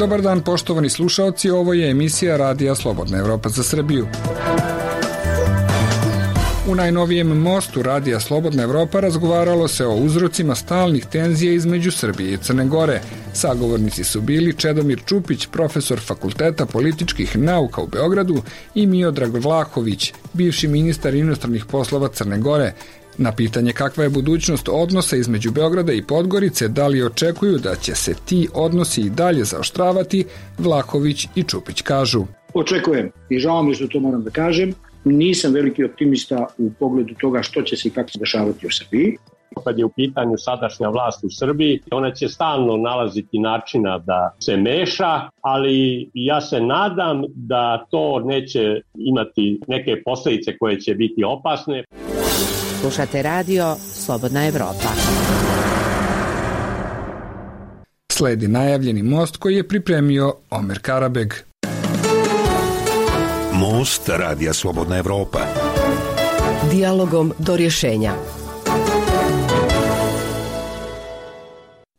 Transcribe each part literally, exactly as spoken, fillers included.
Dobar dan poštovani slušaoci, ovo je emisija Radija Slobodna Evropa za Srbiju. U najnovijem mostu Radija Slobodna Evropa razgovaralo se o uzrocima stalnih tenzija između Srbije i Crne Gore. Sagovornici su bili Čedomir Čupić, profesor Fakulteta političkih nauka u Beogradu, i Miodrag Vlahović, bivši ministar inostranih poslova Crne Gore. Na pitanje kakva je budućnost odnosa između Beograda i Podgorice, da li očekuju da će se ti odnosi i dalje zaoštravati, Vlahović i Čupić kažu. Očekujem i žao mi što to moram da kažem. Nisam veliki optimista u pogledu toga što će se i kako se dešavati u Srbiji. Kad je u pitanju sadašnja vlast u Srbiji, ona će stalno nalaziti načina da se meša, ali ja se nadam da to neće imati neke posljedice koje će biti opasne. Slušate radio Slobodna Evropa. Sledi najavljeni most koji je pripremio Omer Karabeg. Most Radija Slobodna Evropa. Dijalogom do rješenja.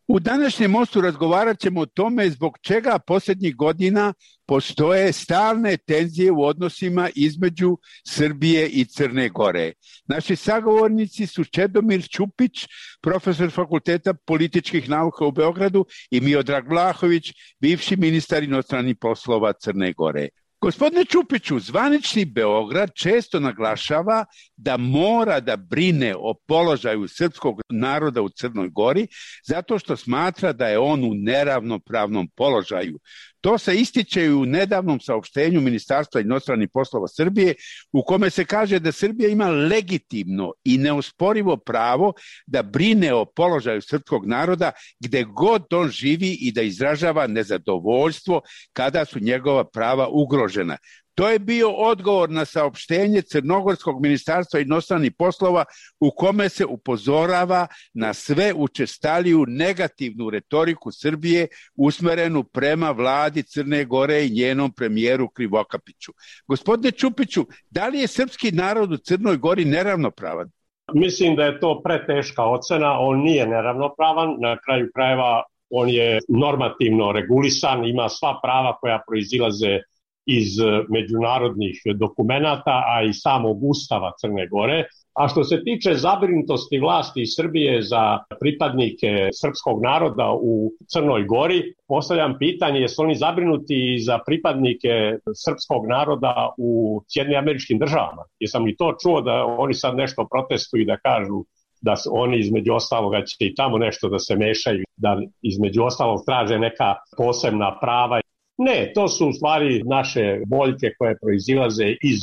U današnjem mostu razgovarat ćemo o tome zbog čega posljednjih godina postoje stalne tenzije u odnosima između Srbije i Crne Gore. Naši sagovornici su Čedomir Čupić, profesor Fakulteta političkih nauka u Beogradu, i Miodrag Vlahović, bivši ministar inostranih poslova Crne Gore. Gospodine Čupiću, zvanični Beograd često naglašava da mora da brine o položaju srpskog naroda u Crnoj Gori zato što smatra da je on u neravnopravnom položaju. To se ističe i u nedavnom saopštenju Ministarstva inostranih poslova Srbije, u kome se kaže da Srbija ima legitimno i neosporivo pravo da brine o položaju srpskog naroda gde god on živi i da izražava nezadovoljstvo kada su njegova prava ugrožena. To je bio odgovor na saopštenje Crnogorskog ministarstva inostranih poslova u kome se upozorava na sve učestaliju negativnu retoriku Srbije usmerenu prema vladi Crne Gore i njenom premijeru Krivokapiću. Gospodine Čupiću, da li je srpski narod u Crnoj Gori neravnopravan? Mislim da je to preteška ocena, on nije neravnopravan, na kraju krajeva on je normativno regulisan, ima sva prava koja proizilaze iz međunarodnih dokumenata, a i samog Ustava Crne Gore. A što se tiče zabrinutosti vlasti iz Srbije za pripadnike srpskog naroda u Crnoj Gori, postavljam pitanje, jesu oni zabrinuti za pripadnike srpskog naroda u Sjedinjenim Američkim Državama? Jesam li to čuo da oni sad nešto protestuju i da kažu da oni između ostaloga će i tamo nešto da se mešaju, da između ostalog traže neka posebna prava? Ne, to su u stvari naše boljke koje proizilaze iz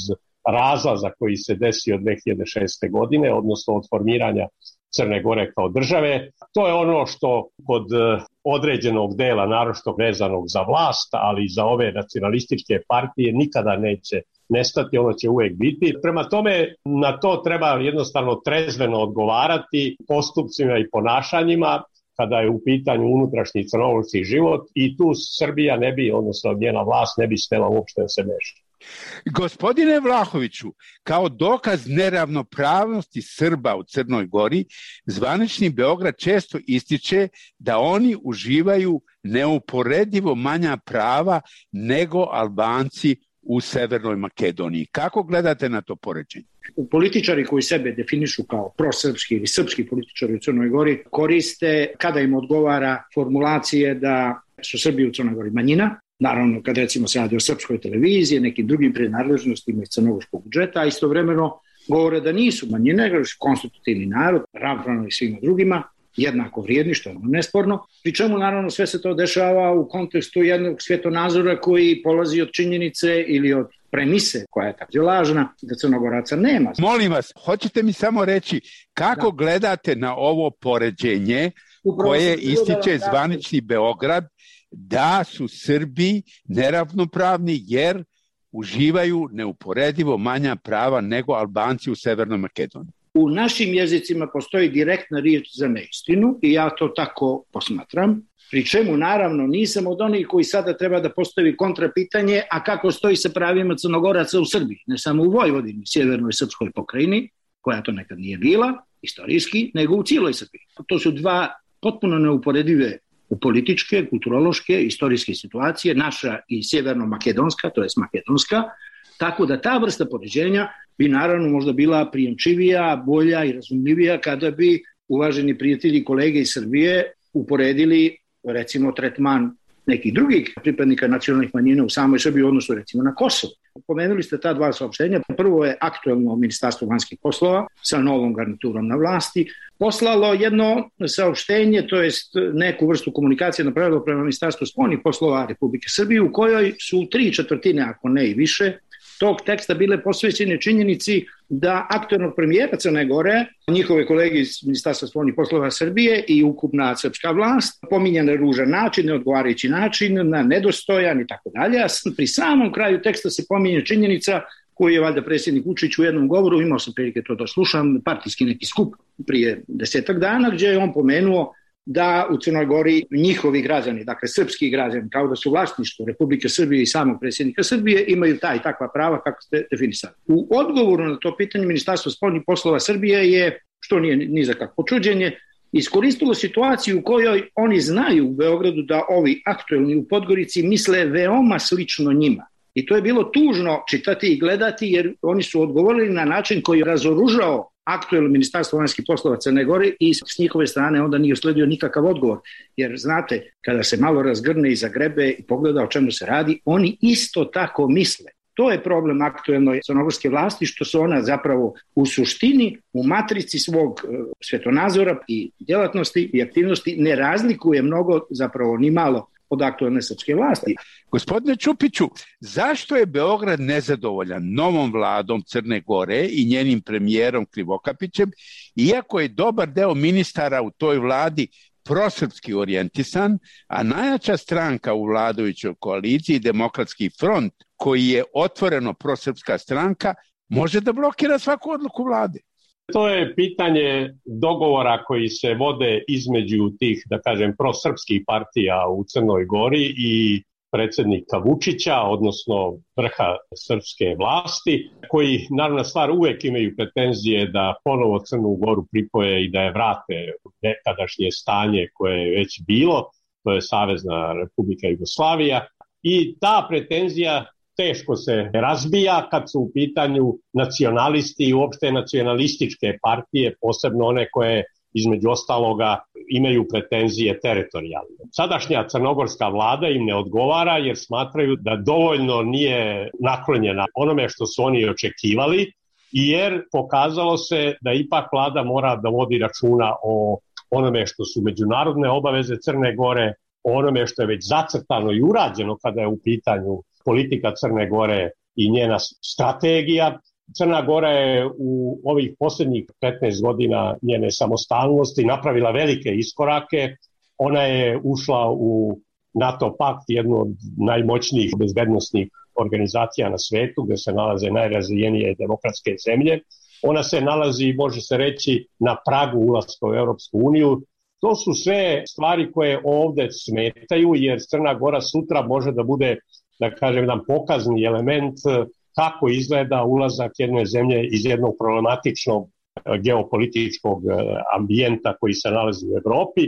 razlaza koji se desio dve hiljade šeste. godine, odnosno od formiranja Crne Gore kao države. To je ono što kod određenog dela, naročito vezanog za vlast, ali i za ove nacionalističke partije, nikada neće nestati, ono će uvek biti. Prema tome, na to treba jednostavno trezveno odgovarati postupcima i ponašanjima kada je u pitanju unutrašnji crnogorski život, i tu Srbija ne bi, odnosno njena vlast ne bi smela uopšte da se meša. Gospodine Vlahoviću, kao dokaz neravnopravnosti Srba u Crnoj Gori, zvanični Beograd često ističe da oni uživaju neuporedivo manja prava nego Albanci u Severnoj Makedoniji. Kako gledate na to poređenje? Političari koji sebe definišu kao prosrpski ili srpski političari u Crnoj Gori koriste, kada im odgovara, formulacije da su Srbi u Crnoj Gori manjina. Naravno, kad recimo se radi o srpskoj televiziji, nekim drugim prenadležnostima iz crnogorskog budžeta, a istovremeno govore da nisu manjine, nego su konstitutivni narod, ravnopravni svima drugima, jednako vrijedni, što je nesporno. Pri čemu naravno sve se to dešava u kontekstu jednog svjetonazora koji polazi od činjenice ili od premise koja je tako lažna, da Crnogoraca nema. Molim vas, hoćete mi samo reći kako da. gledate na ovo poređenje koje ističe zvanični Beograd da su Srbi neravnopravni jer uživaju neuporedivo manja prava nego Albanci u Severnoj Makedoniji? U našim jezicima postoji direktna riječ za neistinu i ja to tako posmatram. Pri čemu naravno nisam od onih koji sada treba da postavi kontrapitanje, a kako stoji sa pravima Crnogoraca u Srbiji, ne samo u Vojvodini, sjevernoj srpskoj pokrajini, koja to nekad nije bila, istorijski, nego u cijeloj Srbiji. To su dva potpuno neuporedive u političke, kulturološke, istorijske situacije, naša i sjeverno-makedonska, to je makedonska, tako da ta vrsta poređenja bi naravno možda bila prijemčivija, bolja i razumljivija kada bi uvaženi prijatelji i kolege iz Srbije uporedili recimo tretman nekih drugih pripadnika nacionalnih manjina u samoj Srbiji u odnosu recimo na Kosovo. Pomenuli ste ta dva saopštenja. Prvo je aktuelno Ministarstvo vanjskih poslova sa novom garniturom na vlasti poslalo jedno saopštenje, to jest neku vrstu komunikacije napravilo prema Ministarstvu spoljnih poslova Republike Srbije u kojoj su tri četvrtine, ako ne i više, tog teksta bile posvećene činjenici da aktuelnog premijera Crne Gore, njihove kolege iz Ministarstva spoljnih poslova Srbije i ukupna srpska vlast pominje na ružan način, neodgovarajući način, na nedostojan i tako dalje. A pri samom kraju teksta se pominje činjenica koju je valjda predsjednik Vučić u jednom govoru, imao sam prilike to da slušam, partijski neki skup prije desetak dana, gdje je on pomenuo da u Crnoj Gori njihovi građani, dakle srpski građani, kao da su vlasništvo Republike Srbije i samog predsjednika Srbije, imaju ta i takva prava kako ste definisali. U odgovoru na to pitanje Ministarstvo spoljnih poslova Srbije je, što nije ni za kakvo čuđenje, iskoristilo situaciju u kojoj oni znaju u Beogradu da ovi aktuelni u Podgorici misle veoma slično njima. I to je bilo tužno čitati i gledati jer oni su odgovorili na način koji je razoružao aktuelno Ministarstvo vanjskih poslova Crne Gore i s njihove strane onda nije usledio nikakav odgovor. Jer znate, kada se malo razgrne i zagrebe i pogleda o čemu se radi, oni isto tako misle. To je problem aktuelnoj crnogorske vlasti, što su ona zapravo u suštini, u matrici svog svetonazora i djelatnosti i aktivnosti ne razlikuje mnogo, zapravo ni malo, od aktuelne srpske vlasti. Gospodine Čupiću, zašto je Beograd nezadovoljan novom vladom Crne Gore i njenim premijerom Krivokapićem, iako je dobar deo ministara u toj vladi prosrpski orijentisan, a najjača stranka u vladajućoj koaliciji, Demokratski front, koji je otvoreno prosrpska stranka, može da blokira svaku odluku vlade? To je pitanje dogovora koji se vode između tih, da kažem, prosrpskih partija u Crnoj Gori i predsjednika Vučića, odnosno vrha srpske vlasti, koji, naravno stvar, uvek imaju pretenzije da ponovo Crnu Goru pripoje i da je vrate u nekadašnje stanje koje je već bilo, to je Savezna Republika Jugoslavija, i ta pretenzija teško se razbija kad su u pitanju nacionalisti i uopšte nacionalističke partije, posebno one koje između ostaloga imaju pretenzije teritorijalne. Sadašnja crnogorska vlada im ne odgovara jer smatraju da dovoljno nije naklonjena onome što su oni očekivali, jer pokazalo se da ipak vlada mora da vodi računa o onome što su međunarodne obaveze Crne Gore, o onome što je već zacrtano i urađeno kada je u pitanju politika Crne Gore i njena strategija. Crna Gora je u ovih posljednjih petnaest godina njene samostalnosti napravila velike iskorake. Ona je ušla u NATO pakt, jednu od najmoćnijih bezbednosnih organizacija na svetu, gdje se nalaze najrazvijenije demokratske zemlje. Ona se nalazi, može se reći, na pragu ulaska u Europsku uniju. To su sve stvari koje ovdje smetaju, jer Crna Gora sutra može da bude, da kažem, jedan pokazni element kako izgleda ulazak jedne zemlje iz jednog problematičnog geopolitičkog ambijenta koji se nalazi u Evropi,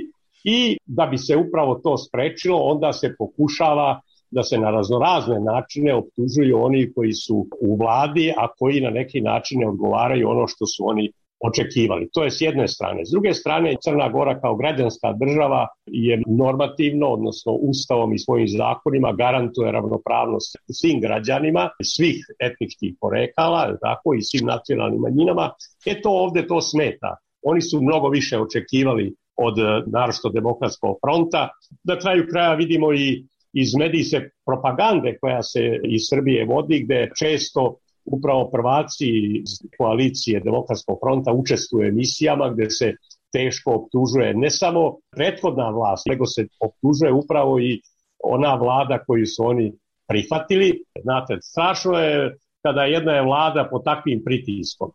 i da bi se upravo to sprečilo, onda se pokušava da se na raznorazne načine optužuju oni koji su u vladi, a koji na neki način ne odgovaraju ono što su oni očekivali. To je s jedne strane. S druge strane, Crna Gora kao građanska država je normativno, odnosno ustavom i svojim zakonima garantuje ravnopravnost svim građanima, svih etničkih porekala, tako, i svim nacionalnim manjinama. E to ovdje to smeta. Oni su mnogo više očekivali od naročito Demokratskog fronta. Na kraju kraja vidimo i iz medijske propagande koja se iz Srbije vodi, gde često upravo prvaci iz koalicije Demokratskog fronta učestvuju u emisijama gdje se teško optužuje ne samo prethodna vlast, nego se optužuje upravo i ona vlada koju su oni prihvatili. Znate, strašno je kada jedna je vlada pod takvim pritiskom.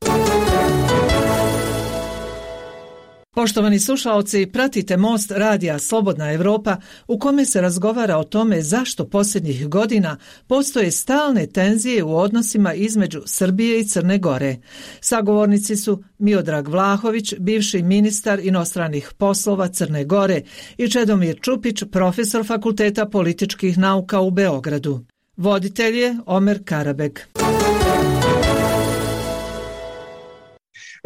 Poštovani slušaoci, pratite Most radija Slobodna Evropa u kome se razgovara o tome zašto posljednjih godina postoje stalne tenzije u odnosima između Srbije i Crne Gore. Sagovornici su Miodrag Vlahović, bivši ministar inostranih poslova Crne Gore, i Čedomir Čupić, profesor Fakulteta političkih nauka u Beogradu. Voditelj je Omer Karabeg.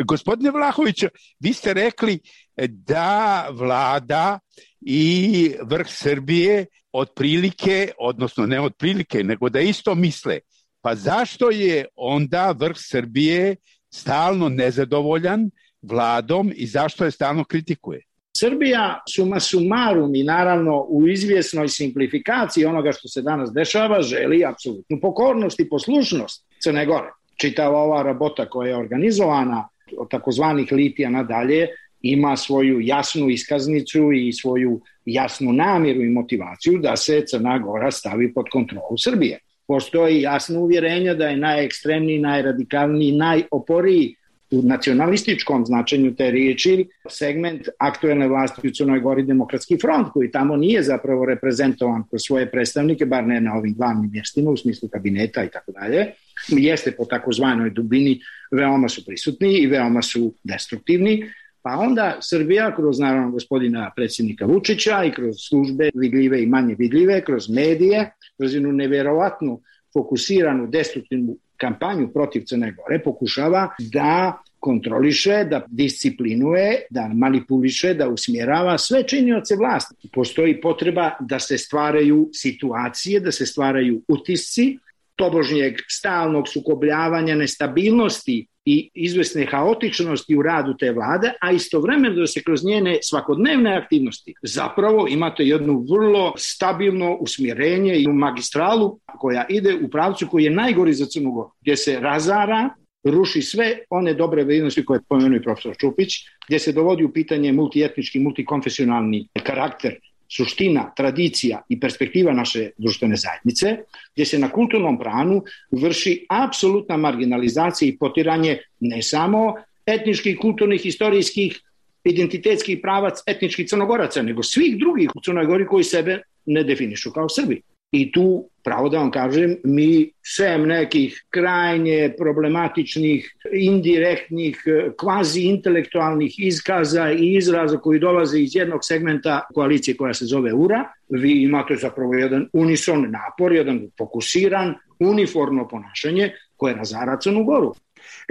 Gospodine Vlahović, vi ste rekli da vlada i vrh Srbije otprilike, odnosno ne otprilike, nego da isto misle. Pa zašto je onda vrh Srbije stalno nezadovoljan vladom i zašto je stalno kritikuje? Srbija suma sumarum i naravno u izvjesnoj simplifikaciji onoga što se danas dešava želi apsolutnu pokornost i poslušnost Crne Gore. Čitava ova rabota koja je organizovana od takozvanih litija nadalje ima svoju jasnu iskaznicu i svoju jasnu namjeru i motivaciju da se Crna Gora stavi pod kontrolu Srbije. Postoji jasno uvjerenje da je najekstremniji, najradikalniji, najoporiji u nacionalističkom značenju te riječi segment aktuelne vlasti u Crnoj Gori Demokratski front, koji tamo nije zapravo reprezentovan kroz svoje predstavnike, bar ne na ovim glavnim mjestima u smislu kabineta i tako dalje. Jeste po takozvanoj dubini, veoma su prisutni i veoma su destruktivni. Pa onda Srbija kroz naravno gospodina predsjednika Vučića i kroz službe vidljive i manje vidljive, kroz medije, kroz jednu nevjerovatnu fokusiranu destruktivnu kampanju protiv Crne Gore pokušava da kontroliše, da disciplinuje, da manipuliše, da usmjerava sve činioce vlasti. Postoji potreba da se stvaraju situacije, da se stvaraju utisci tobožnjeg stalnog sukobljavanja, nestabilnosti i izvesne haotičnosti u radu te vlade, a istovremeno da se kroz njene svakodnevne aktivnosti zapravo imate jednu vrlo stabilno usmjerenje i magistralu koja ide u pravcu koji je najgori za Crnu Goru, gdje se razara, ruši sve one dobre vrijednosti koje je pomenuo i profesor Čupić, gdje se dovodi u pitanje multietnički, multikonfesionalni karakter, suština, tradicija i perspektiva naše društvene zajednice, gdje se na kulturnom planu vrši apsolutna marginalizacija i potiranje ne samo etničkih, kulturnih, historijskih, identitetskih pravac etničkih Crnogoraca, nego svih drugih u Crnoj Gori koji sebe ne definišu kao Srbi. I tu, pravo da vam kažem, mi sem nekih krajnje problematičnih, indirektnih, kvazi-intelektualnih izkaza i izraza koji dolaze iz jednog segmenta koalicije koja se zove U R A, vi imate zapravo jedan unison napor, jedan fokusiran, uniformno ponašanje koje razara Crnu Goru.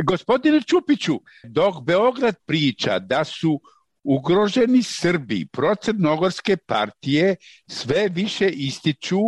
Gospodine Čupiću, dok Beograd priča da su ugroženi Srbi, procrnogorske partije sve više ističu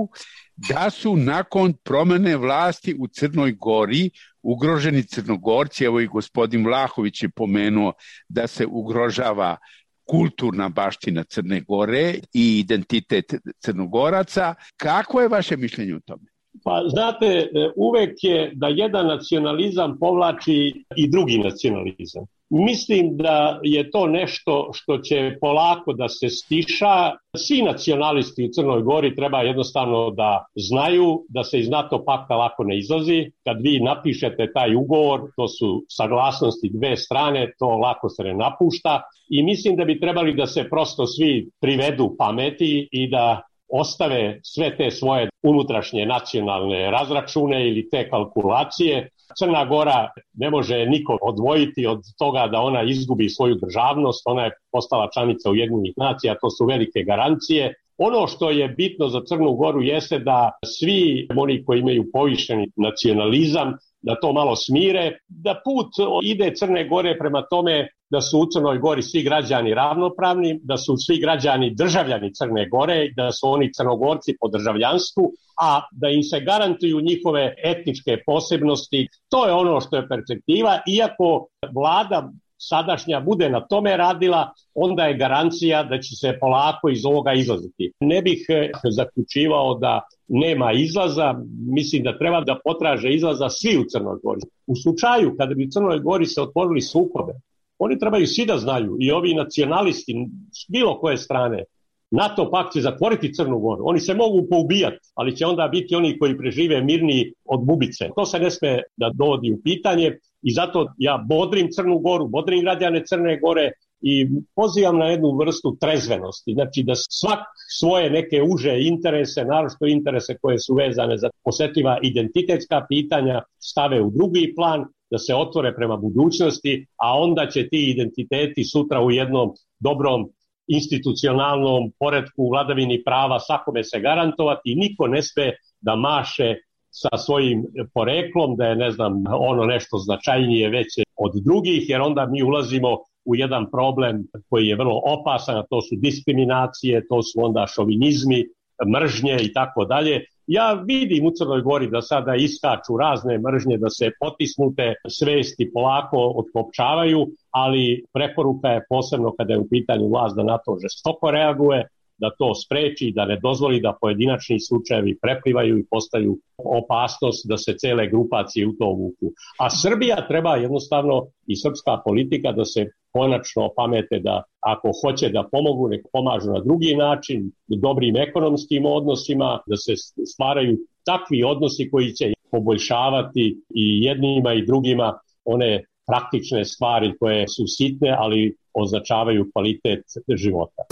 da su nakon promjene vlasti u Crnoj Gori ugroženi Crnogorci. Evo i gospodin Vlahović je pomenuo da se ugrožava kulturna baština Crne Gore i identitet Crnogoraca. Kako je vaše mišljenje o tome? Pa znate, uvek je da jedan nacionalizam povlači i drugi nacionalizam. Mislim da je to nešto što će polako da se stiša. Svi nacionalisti u Crnoj Gori treba jednostavno da znaju da se iz NATO pakta lako ne izlazi. Kad vi napišete taj ugovor, to su saglasnosti dve strane, to lako se ne napušta. I mislim da bi trebali da se prosto svi privedu pameti i da ostave sve te svoje unutrašnje nacionalne razračune ili te kalkulacije. Crna Gora ne može niko odvojiti od toga da ona izgubi svoju državnost, ona je postala članica Ujedinjenih nacija, to su velike garancije. Ono što je bitno za Crnu Goru jeste da svi oni koji imaju povišeni nacionalizam, da to malo smire, da put ide Crne Gore prema tome da su u Crnoj Gori svi građani ravnopravni, da su svi građani državljani Crne Gore, da su oni Crnogorci po državljanstvu, a da im se garantuju njihove etničke posebnosti. To je ono što je perspektiva. Iako vlada sadašnja bude na tome radila, onda je garancija da će se polako iz ovoga izlaziti. Ne bih zaključivao da nema izlaza, mislim da treba da potraže izlaza svi u Crnoj Gori. U slučaju kada bi u Crnoj Gori se otvorili sukobe, oni trebaju svi da znaju, i ovi nacionalisti, s bilo koje strane, NATO pakt će zatvoriti Crnu Goru. Oni se mogu poubijati, ali će onda biti oni koji prežive mirniji od bubice. To se ne sme da dovodi u pitanje i zato ja bodrim Crnu Goru, bodrim građane Crne Gore i pozivam na jednu vrstu trezvenosti, znači da svak svoje neke uže interese, naročito interese koje su vezane za osetljiva identitetska pitanja, stave u drugi plan, da se otvore prema budućnosti, a onda će ti identiteti sutra u jednom dobrom institucionalnom poretku, vladavini prava svakome se garantovati. Niko ne sme da maše sa svojim poreklom, da je, ne znam, ono nešto značajnije veće od drugih, jer onda mi ulazimo u jedan problem koji je vrlo opasan, a to su diskriminacije, to su onda šovinizmi, mržnje i tako dalje. Ja vidim u Crnoj Gori da sada iskaču razne mržnje, da se potisnute svesti polako otkopčavaju, ali preporuka je posebno kada je u pitanju vlast da na to žestoko reaguje, da to spreči, da ne dozvoli da pojedinačni slučajevi preplivaju i postaju opasnost da se cele grupacije u to vuku. A Srbija treba jednostavno i srpska politika da se konačno pamete da ako hoće da pomogu, nek pomažu na drugi način, dobrim ekonomskim odnosima, da se stvaraju takvi odnosi koji će poboljšavati i jednima i drugima one praktične stvari koje su sitne, ali označavaju kvalitet života.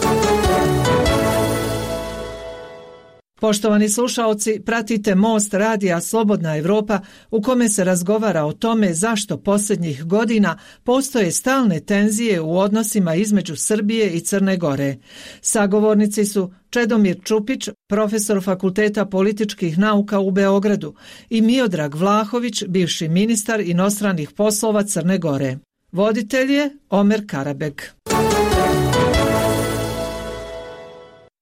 Poštovani slušaoci, pratite Most radija Slobodna Evropa u kome se razgovara o tome zašto posljednjih godina postoje stalne tenzije u odnosima između Srbije i Crne Gore. Sagovornici su Čedomir Čupić, profesor Fakulteta političkih nauka u Beogradu, i Miodrag Vlahović, bivši ministar inostranih poslova Crne Gore. Voditelj je Omer Karabeg.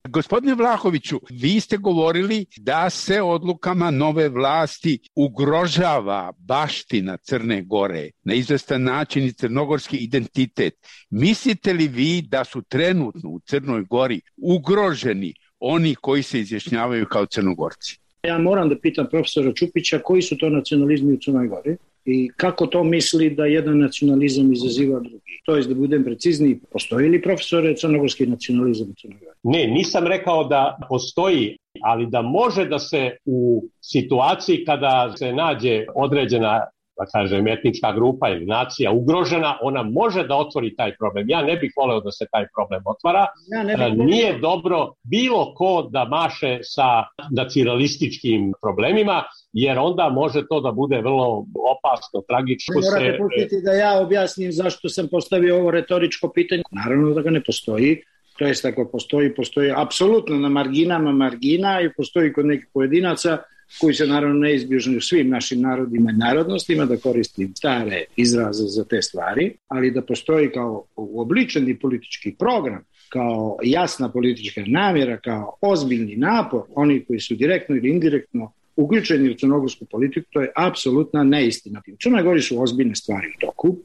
Gospodine Vlahoviću, vi ste govorili da se odlukama nove vlasti ugrožava baština Crne Gore, na izvestan način i crnogorski identitet. Mislite li vi da su trenutno u Crnoj Gori ugroženi oni koji se izjašnjavaju kao Crnogorci? Ja moram da pitam profesora Čupića koji su to nacionalizmi u Crnoj Gori i kako to misli da jedan nacionalizam izaziva drugi. To je, da budem precizniji, postoji li, profesore, crnogorski nacionalizam u Crnoj Gori? Ne, nisam rekao da postoji, ali da može da se u situaciji kada se nađe određena, da kažem, etnička grupa ili nacija ugrožena, ona može da otvori taj problem. Ja ne bih voleo da se taj problem otvara. Ja ne bih Nije voleo. Dobro bilo ko da maše sa nacionalističkim problemima, jer onda može to da bude vrlo opasno, tragično. Morate pustiti da ja objasnim zašto sam postavio ovo retoričko pitanje. Naravno da ga ne postoji. To jest, ako postoji, postoji apsolutno na marginama margina i postoji kod nekih pojedinaca koji se naravno neizbježni u svim našim narodima i narodnostima, da koristim stare izraze za te stvari, ali da postoji kao uobličeni politički program, kao jasna politička namjera, kao ozbiljni napor, oni koji su direktno ili indirektno uključeni u crnogorsku politiku, to je apsolutna neistina. U Crnoj Gori su ozbiljne stvari u toku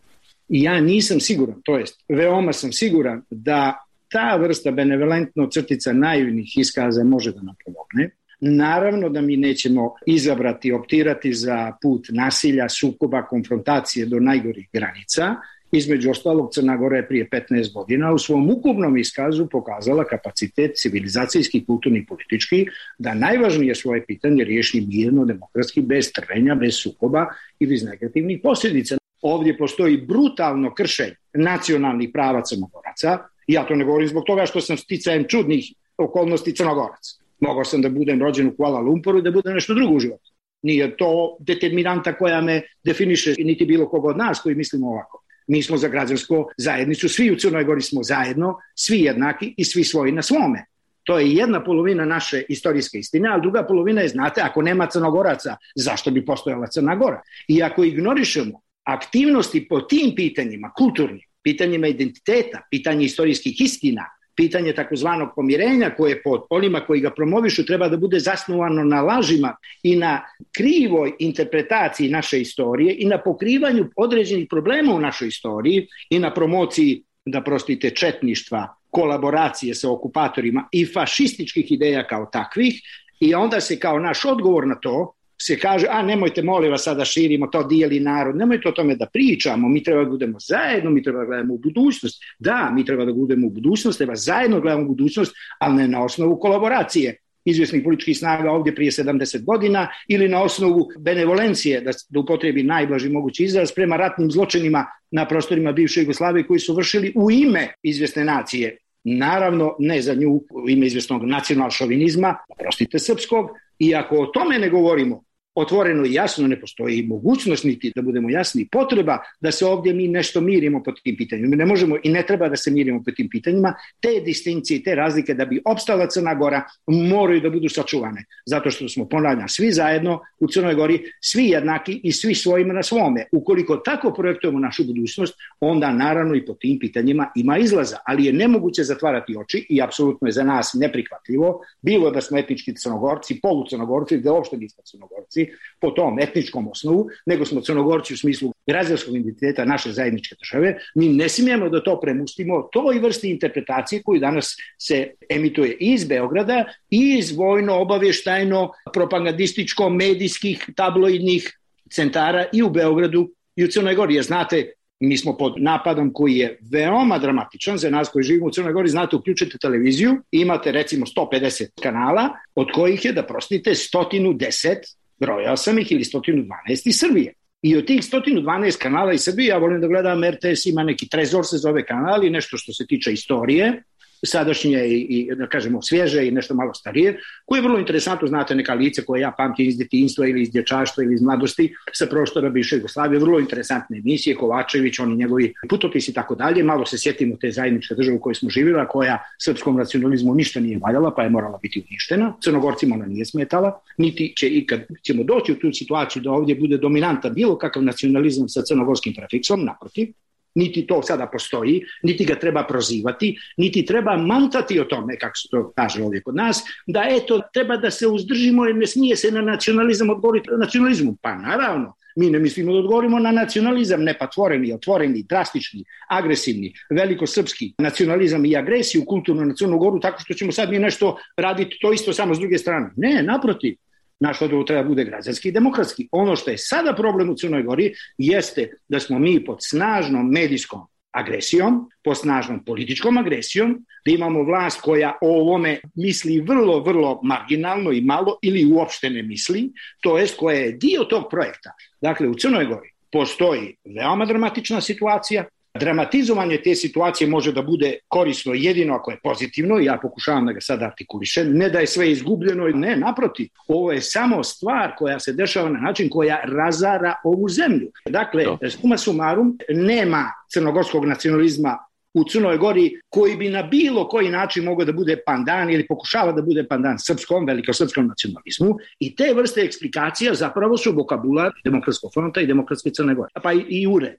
i ja nisam siguran, to jest veoma sam siguran da ta vrsta benevolentno crtica naivnih iskaza može da nam pomogne. Naravno da mi nećemo izabrati, optirati za put nasilja, sukoba, konfrontacije do najgorih granica. Između ostalog, Crna Gora je prije petnaest godina u svom ukupnom iskazu pokazala kapacitet civilizacijski, kulturni, politički, da najvažnije svoje pitanje riješi mirno, demokratski, bez trvenja, bez sukoba i bez negativnih posljedica. Ovdje postoji brutalno kršenje nacionalnih prava Crnogoraca. Ja to ne govorim zbog toga što sam sticajem čudnih okolnosti Crnogorac. Mogao sam da budem rođen u Kuala Lumpuru i da budem nešto drugo u životu. Nije to determinanta koja me definiše, niti bilo koga od nas koji mislimo ovako. Mi smo za građansku zajednicu, svi u Crnoj Gori smo zajedno, svi jednaki i svi svoji na svome. To je jedna polovina naše istorijske istine, a druga polovina je, znate, ako nema Crnogoraca, zašto bi postojala Crna Gora? I ako ignorišemo aktivnosti po tim pitanjima, kulturnim, pitanjima identiteta, pitanje istorijskih istina, pitanje takozvanog pomirenja koje pod onima koji ga promovišu treba da bude zasnovano na lažima i na krivoj interpretaciji naše istorije i na pokrivanju određenih problema u našoj istoriji i na promociji, da prostite, četništva, kolaboracije sa okupatorima i fašističkih ideja kao takvih, i onda se kao naš odgovor na to se kaže, a nemojte, molim vas, sada širimo, to dijeli narod, nemojte o tome da pričamo, mi treba da budemo zajedno, mi treba da gledamo u budućnost. Da, mi treba da budemo u budućnost, treba zajedno gledamo u budućnost, ali ne na osnovu kolaboracije izvjesnih političkih snaga ovdje prije sedamdeset godina ili na osnovu benevolencije, da, da upotrebi najblaži mogući izraz, prema ratnim zločinima na prostorima bivše Jugoslavije koji su vršili u ime izvjesne nacije. Naravno, ne za nju u ime izvjesnog nacional-šovinizma, prostite srpskog, i ako o tome ne govorimo otvoreno i jasno, ne postoji mogućnost niti, da budemo jasni, potreba da se ovdje mi nešto mirimo po tim pitanjima. Mi ne možemo i ne treba da se mirimo po tim pitanjima. Te distinkcije i te razlike da bi opstala Crna Gora moraju da budu sačuvane. Zato što smo, ponavljam, svi zajedno u Crnoj Gori, svi jednaki i svi svojima na svome. Ukoliko tako projektujemo našu budućnost, onda naravno i po tim pitanjima ima izlaza. Ali je nemoguće zatvarati oči i apsolutno je za nas neprihvatljivo, bilo da smo etnički Crnogorci, polucrnogorci, da uopšte nismo Crnogorci, po tom etničkom osnovu, nego smo Crnogorci u smislu građanskog identiteta naše zajedničke države. Mi ne smijemo da to premustimo toj vrsti interpretacije koju danas se emituje i iz Beograda i iz vojno-obavještajno propagandističko-medijskih tabloidnih centara i u Beogradu i u Crnoj Gori. Jer znate, mi smo pod napadom koji je veoma dramatičan za nas koji živimo u Crnoj Gori. Znate, uključite televiziju, imate recimo sto pedeset kanala, od kojih je, da prostite, sto deset, brojao sam ih, ili sto dvanaest iz Srbije. I od tih sto dvanaest kanala iz Srbije, ja volim da gledam R T S, ima neki Trezor se zove kanal i nešto što se tiče istorije, sadašnje i, i da kažemo svježe i nešto malo starije, koje je vrlo interesantno, znate, neka lice koje ja pamtim iz djetinjstva ili iz dječaštva ili iz mladosti sa prostora bivše Jugoslavije, vrlo interesantne emisije, Kovačević, oni njegovi putopisi i tako dalje. Malo se sjetimo te zajedničke države u kojoj smo živjeli, a koja srpskom nacionalizmu ništa nije valjala, pa je morala biti uništena. Crnogorcima ona nije smetala, niti će ikad ćemo doći u tu situaciju da ovdje bude dominanta bilo kakav nacionalizam sa crnogorskim prefiksom, naprotiv. Niti to sada postoji, niti ga treba prozivati, niti treba mantati o tome, kako se to kaže ovdje kod nas, da eto, treba da se uzdržimo jer ne smije se na nacionalizam odgovoriti nacionalizmu. Pa naravno, mi ne mislimo da odgovorimo na nacionalizam nepatvoreni, otvoreni, drastični, agresivni, velikosrpski nacionalizam i agresiju kulturno na Crnu Goru, tako što ćemo sad mi nešto raditi to isto samo s druge strane. Ne, naprotiv. Naš odgovor treba bude građanski i demokratski. Ono što je sada problem u Crnoj Gori jeste da smo mi pod snažnom medijskom agresijom, pod snažnom političkom agresijom, da imamo vlast koja o ovome misli vrlo, vrlo marginalno i malo ili uopšte ne misli, to jest koja je dio tog projekta. Dakle, u Crnoj Gori postoji veoma dramatična situacija. Dramatizovanje te situacije može da bude korisno jedino ako je pozitivno, ja pokušavam da ga sad artikulišem, ne da je sve izgubljeno, ne, naprotiv, ovo je samo stvar koja se dešava na način koja razara ovu zemlju. Dakle, suma sumarum, nema crnogorskog nacionalizma u Crnoj Gori koji bi na bilo koji način mogao da bude pandan ili pokušava da bude pandan srpskom, velikosrpskom nacionalizmu, i te vrste eksplikacija zapravo su vokabular Demokratskog fronta i Demokratske Crne Gore, pa i, i U R E.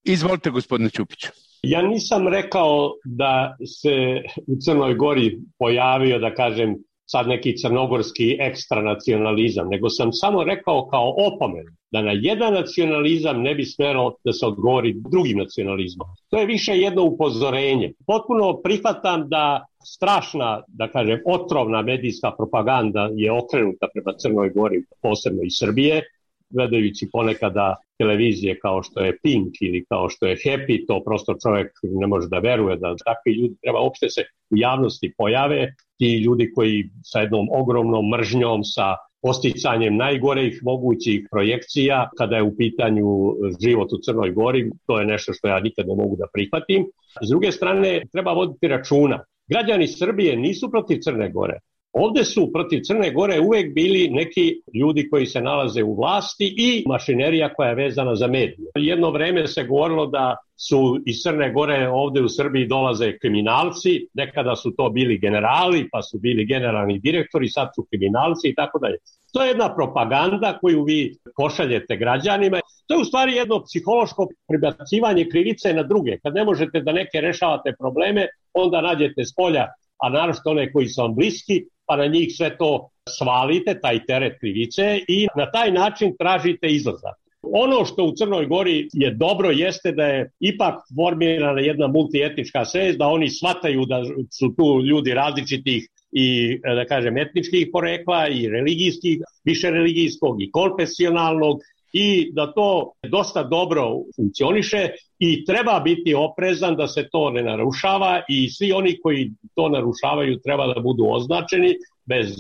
Izvolite, gospodine Ćupiću. Ja nisam rekao da se u Crnoj Gori pojavio, da kažem, sad neki crnogorski ekstranacionalizam, nego sam samo rekao kao opomen da na jedan nacionalizam ne bi smjelo da se odgovori drugim nacionalizmom. To je više jedno upozorenje. Potpuno prihvatam da strašna, da kažem, otrovna medijska propaganda je okrenuta prema Crnoj Gori, posebno iz Srbije, gledajući ponekada televizije kao što je Pink ili kao što je Happy, to prosto čovjek ne može da veruje da takvi ljudi treba uopšte se u javnosti pojave. Ti ljudi koji sa jednom ogromnom mržnjom, sa posticanjem najgorih mogućih projekcija kada je u pitanju život u Crnoj Gori, to je nešto što ja nikad ne mogu da prihvatim. S druge strane, treba voditi računa. Građani Srbije nisu protiv Crne Gore. Ovdje su protiv Crne Gore uvijek bili neki ljudi koji se nalaze u vlasti i mašinerija koja je vezana za medije. Jedno vreme se govorilo da su iz Crne Gore ovdje u Srbiji dolaze kriminalci, nekada su to bili generali, pa su bili generalni direktori, sad su kriminalci i tako dalje. To je jedna propaganda koju vi pošaljete građanima. To je u stvari jedno psihološko prebacivanje krivice na druge. Kad ne možete da neke rešavate probleme, onda nađete s polja, a naročito one koji su vam bliski, pa na njih sve to svalite, taj teret krivice, i na taj način tražite izlazak. Ono što u Crnoj Gori je dobro jeste da je ipak formirana jedna multietnička svest, da oni shvataju da su tu ljudi različitih i, da kažem, etničkih porekla i religijskih, više religijskog i konfesionalnog, i da to dosta dobro funkcioniše i treba biti oprezan da se to ne narušava i svi oni koji to narušavaju treba da budu označeni bez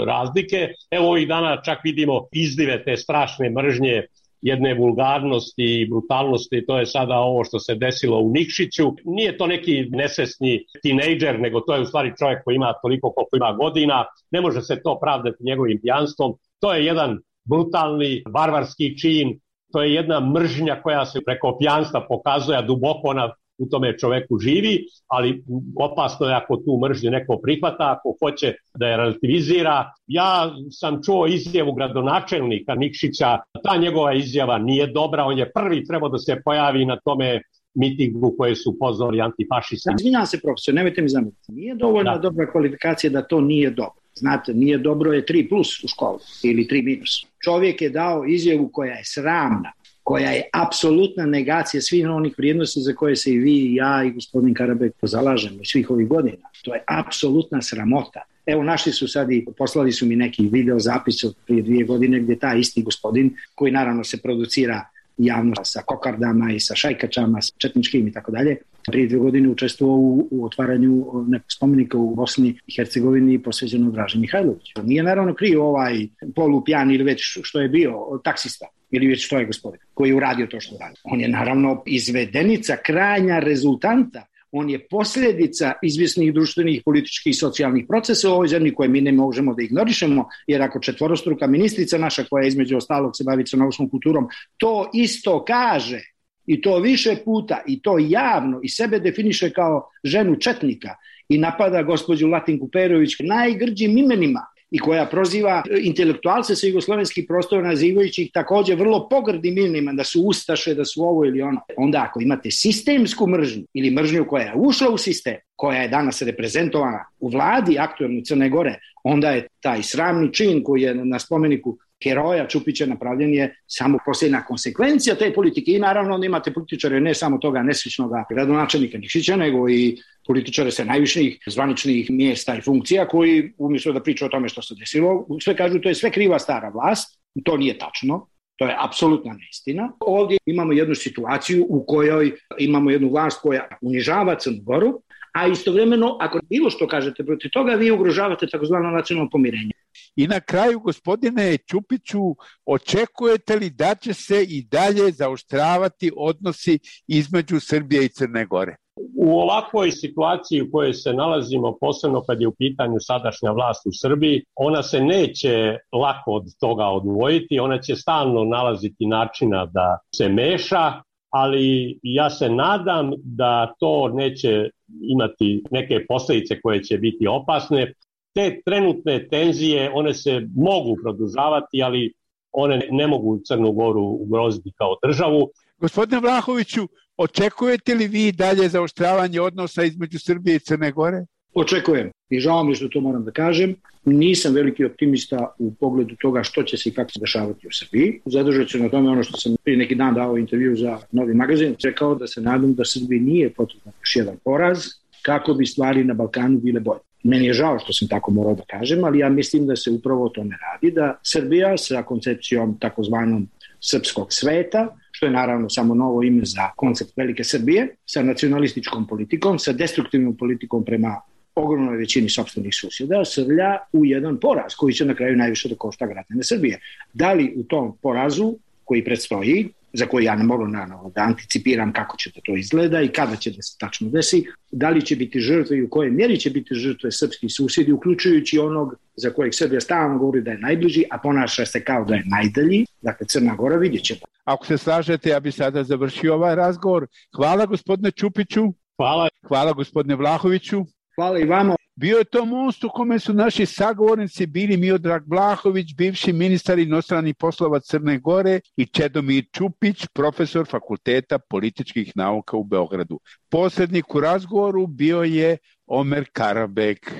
razlike. Evo ovih dana čak vidimo izlive te strašne mržnje, jedne vulgarnosti i brutalnosti, to je sada ovo što se desilo u Nikšiću. Nije to neki nesvesni tinejdžer, nego to je u stvari čovjek koji ima toliko koliko ima godina, ne može se to pravdati njegovim pijanstvom. To je jedan brutalni, barbarski čin, to je jedna mržnja koja se preko pijanstva pokazuje, a duboko ona u tome čoveku živi, ali opasno je ako tu mržnju neko prihvata, ako hoće da je relativizira. Ja sam čuo izjavu gradonačelnika Nikšića, ta njegova izjava nije dobra, on je prvi trebao da se pojavi na tome mitingu koje su pozvali antifašisti. Izvinjam se, profesor, nemojte mi zamjeriti. Nije dovoljna da. dobra kvalifikacija da to nije dobro. Znate, nije dobro je tri plus u školu ili tri minus. Čovjek je dao izjavu koja je sramna, koja je apsolutna negacija svih onih vrijednosti za koje se i vi, i ja, i gospodin Karabek zalažemo svih ovih godina. To je apsolutna sramota. Evo, našli su sad i poslali su mi neki video zapis od prije dvije godine gdje taj isti gospodin, koji naravno se producira javno sa kokardama i sa šajkačama, sa četničkim i tako dalje, prije dvije godine učestvovao u, u otvaranju nekog spomenika u Bosni i Hercegovini posvećenom Draži Mihajloviću. Nije naravno kriv ovaj polupijan ili već što je bio taksista ili već što je gospodin koji je uradio to što radi. On je naravno izvedenica krajnja rezultanta. On je posljedica izvjesnih društvenih, političkih i socijalnih procesa u ovoj zemlji koje mi ne možemo da ignorišemo, jer ako četvorostruka ministrica naša koja između ostalog se bavi crnogorskom kulturom to isto kaže i to više puta i to javno i sebe definiše kao ženu četnika i napada gospođu Latinku Perović najgrđim imenima i koja proziva intelektualce sa jugoslovenskih prostora nazivajući ih također vrlo pogrdim imenima da su ustaše, da su ovo ili ono. Onda ako imate sistemsku mržnju ili mržnju koja je ušla u sistem, koja je danas reprezentovana u vladi aktuelne Crne Gore, onda je taj sramni čin koji je na spomeniku heroja Čupića napravljen je samo posljedna konsekvencija te politike i naravno onda imate političare ne samo toga nesrećnog gradonačelnika Nikšića, nego i političare sa najviših zvaničnih mjesta i funkcija koji umjesto da pričaju o tome što se desilo, sve kažu to je sve kriva stara vlast, to nije tačno. To je apsolutna neistina. Ovdje imamo jednu situaciju u kojoj imamo jednu vlast koja unižava Crnu Goru, a istovremeno, ako bilo što kažete protiv toga, vi ugrožavate takozvano nacionalno pomirenje. I na kraju, gospodine Čupiću, očekujete li da će se i dalje zaoštravati odnosi između Srbije i Crne Gore? U ovakvoj situaciji u kojoj se nalazimo, posebno kad je u pitanju sadašnja vlast u Srbiji, ona se neće lako od toga odvojiti, ona će stalno nalaziti načina da se meša, ali ja se nadam da to neće imati neke posljedice koje će biti opasne. Te trenutne tenzije, one se mogu produžavati, ali one ne mogu Crnu Goru ugroziti kao državu. Gospodine Vlahoviću, očekujete li vi dalje zaoštravanje odnosa između Srbije i Crne Gore? Očekujem i žao mi što to moram da kažem. Nisam veliki optimista u pogledu toga što će se i kako se dešavati u Srbiji. Zadržat ću na tome ono što sam prije neki dan dao intervju za Novi magazin. Rekao da se nadam da Srbiji nije potreban još jedan poraz kako bi stvari na Balkanu bile bolje. Meni je žao što sam tako morao da kažem, ali ja mislim da se upravo o tome radi, da Srbija sa koncepcijom takozvanom srpskog sveta, što je naravno samo novo ime za koncept Velike Srbije, sa nacionalističkom politikom, sa destruktivnom politikom prema ogromnoj većini sopstvenih susjeda, srlja u jedan poraz koji će na kraju najviše da košta građane Srbije. Da li u tom porazu koji predstoji, za koji ja ne mogu naravno da anticipiram kako će to izgleda i kada će da se tačno desi, da li će biti žrtve i u kojoj mjeri će biti žrtve srpski susjedi, uključujući onog za kojeg Srbija stalno govori da je najbliži, a ponaša se kao da je najdalji, dakle Crna Gora, vidjet ćemo. Ako se slažete, ja bih sada završio ovaj razgovor. Hvala gospodine Čupiću. Hvala. Hvala gospodine Vlahoviću. Hvala i vama. Bio je to most u kome su naši sagovornici bili Miodrag Vlahović, bivši ministar inostranih poslova Crne Gore, i Čedomir Čupić, profesor Fakulteta političkih nauka u Beogradu. Posrednik u razgovoru bio je Omer Karabek.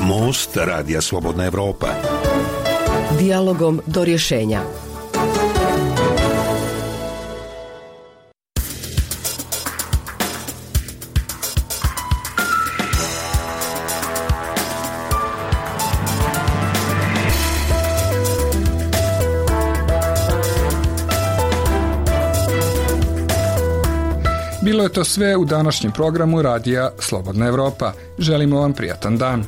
Most Radija Slobodna Evropa. Dijalogom do rješenja. Bilo je to sve u današnjem programu Radija Slobodna Evropa. Želimo vam prijatan dan.